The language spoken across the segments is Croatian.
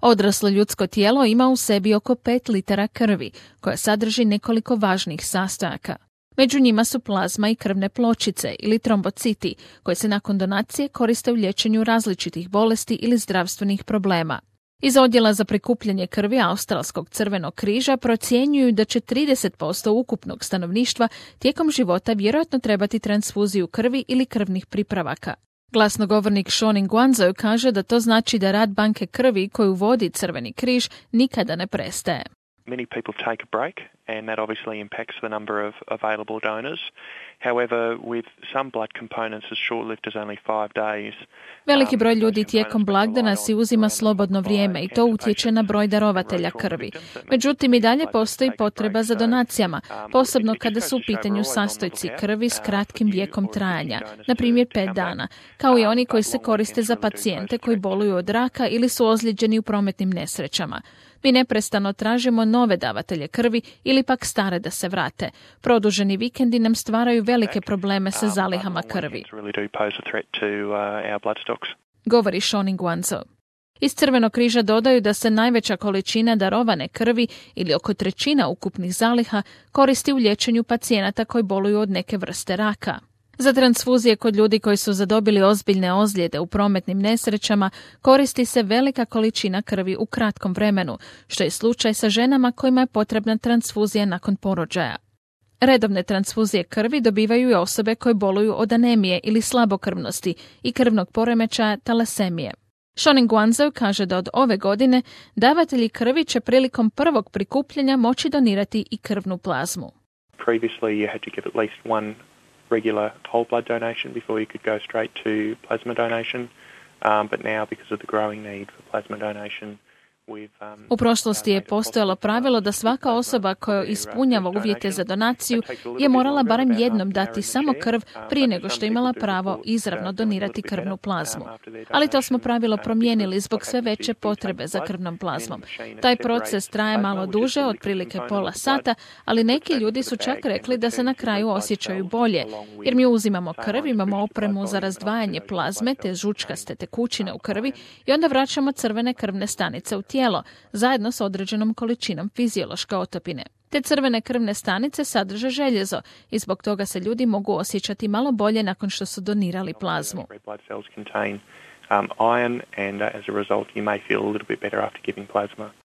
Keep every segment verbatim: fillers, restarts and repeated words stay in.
Odraslo ljudsko tijelo ima u sebi oko pet litara krvi, koja sadrži nekoliko važnih sastojaka. Među njima su plazma i krvne pločice ili trombociti, koje se nakon donacije koriste u liječenju različitih bolesti ili zdravstvenih problema. Iz odjela za prikupljanje krvi Australskog crvenog križa procjenjuju da će trideset posto ukupnog stanovništva tijekom života vjerojatno trebati transfuziju krvi ili krvnih pripravaka. Glasnogovornik Sean Guanzo kaže da to znači da rad banke krvi koju vodi Crveni križ nikada ne prestaje. Many people take a break, and that obviously impacts the number of available donors. However, with some blood components as short-lived as only five days. Veliki broj ljudi tijekom blagdana si uzima slobodno vrijeme i to utječe na broj darovatelja krvi. Međutim, i dalje postoji potreba za donacijama, posebno kada su u pitanju sastojci krvi s kratkim vijekom trajanja, na primjer pet dana, kao i oni koji se koriste za pacijente koji boluju od raka ili su ozlijeđeni u prometnim nesrećama. Mi neprestano tražimo nove davatelje krvi ili pak stare da se vrate. Produženi vikendi nam stvaraju velike probleme sa zalihama krvi, govori Sean Guanzo. Iz Crvenog križa dodaju da se najveća količina darovane krvi ili oko trećina ukupnih zaliha koristi u liječenju pacijenata koji boluju od neke vrste raka. Za transfuzije kod ljudi koji su zadobili ozbiljne ozljede u prometnim nesrećama koristi se velika količina krvi u kratkom vremenu, što je slučaj sa ženama kojima je potrebna transfuzija nakon porođaja. Redovne transfuzije krvi dobivaju i osobe koje boluju od anemije ili slabokrvnosti i krvnog poremećaja talasemije. Sean Guanzo kaže da od ove godine davatelji krvi će prilikom prvog prikupljanja moći donirati i krvnu plazmu. Previously you had to give at least one regular whole blood donation before you could go straight to plasma donation, um, but now because of the growing need for plasma donation, u prošlosti je postojalo pravilo da svaka osoba koja ispunjava uvjete za donaciju je morala barem jednom dati samo krv prije nego što je imala pravo izravno donirati krvnu plazmu. Ali to smo pravilo promijenili zbog sve veće potrebe za krvnom plazmom. Taj proces traje malo duže, otprilike pola sata, ali neki ljudi su čak rekli da se na kraju osjećaju bolje, jer mi uzimamo krv, imamo opremu za razdvajanje plazme te žučkaste tekućine u krvi i onda vraćamo crvene krvne stanice u tijelo. tijelo, zajedno s određenom količinom fiziološke otopine. Te crvene krvne stanice sadrže željezo i zbog toga se ljudi mogu osjećati malo bolje nakon što su donirali plazmu.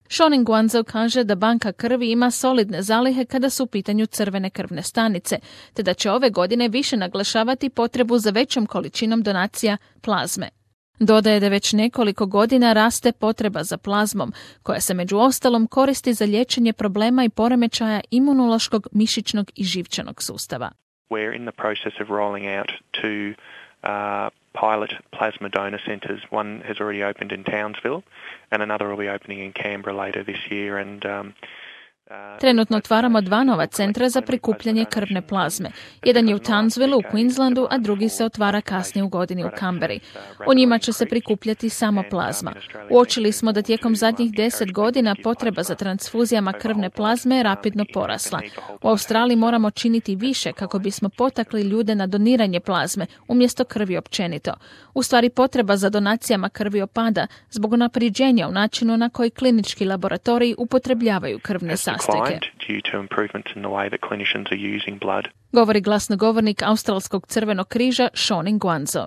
Sean Guanzo kaže da banka krvi ima solidne zalihe kada su u pitanju crvene krvne stanice, te da će ove godine više naglašavati potrebu za većom količinom donacija plazme. Dodaje da već nekoliko godina raste potreba za plazmom, koja se među ostalom koristi za liječenje problema i poremećaja imunološkog, mišićnog i živčanog sustava. We're in the process of rolling out two uh, pilot plasma donor centers. One has already opened in Townsville and another will be opening in Canberra later this year, and um, Trenutno otvaramo dva nova centra za prikupljanje krvne plazme. Jedan je u Townsville u Queenslandu, a drugi se otvara kasnije u godini u Canberri. U njima će se prikupljati samo plazma. Uočili smo da tijekom zadnjih deset godina potreba za transfuzijama krvne plazme je rapidno porasla. U Australiji moramo činiti više kako bismo potakli ljude na doniranje plazme umjesto krvi općenito. U stvari potreba za donacijama krvi opada zbog unapređenja u načinu na koji klinički laboratoriji upotrebljavaju krvne sastojke. Govori glasnogovornik Australskog crvenog križa Sean Guanzo.